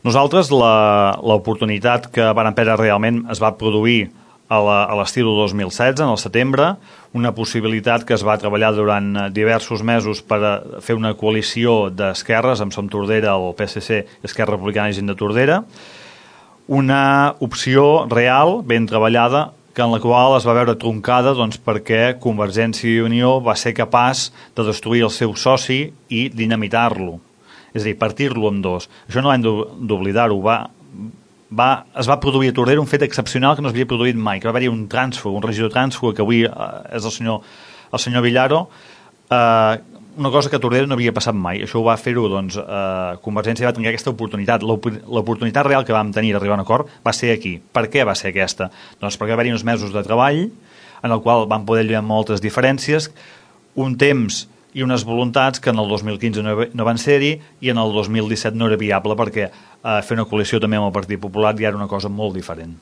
Nosaltres, l'oportunitat que vàrem perdre realment es va produir a l'estiu del 2016, en el setembre, una possibilitat que es va treballar durant diversos mesos per fer una coalició d'esquerres amb Som Tordera, el PSC i Esquerra Republicana i Gent de Tordera, una opció real, ben treballada, en la qual es va veure troncada perquè Convergència i Unió va ser capaç de destruir el seu soci i dinamitar-lo. És a dir, partir-lo en dos. Això no hem d'oblidar-ho. Es va produir a Tordera un fet excepcional que no s'havia produït mai, que va haver-hi un trànsfug, un regidor trànsfug, que avui és el senyor Villaro, una cosa que a Tordera no havia passat mai. Això ho va fer-ho, Convergència va tenir aquesta oportunitat. L'oportunitat real que vam tenir d'arribar a un acord va ser aquí. Per què va ser aquesta? Doncs perquè va haver-hi uns mesos de treball en el qual vam poder lluir moltes diferències, un temps i unes voluntats que en el 2015 no van ser-hi i en el 2017 no era viable perquè fer una coalició també amb el Partit Popular ja era una cosa molt diferent.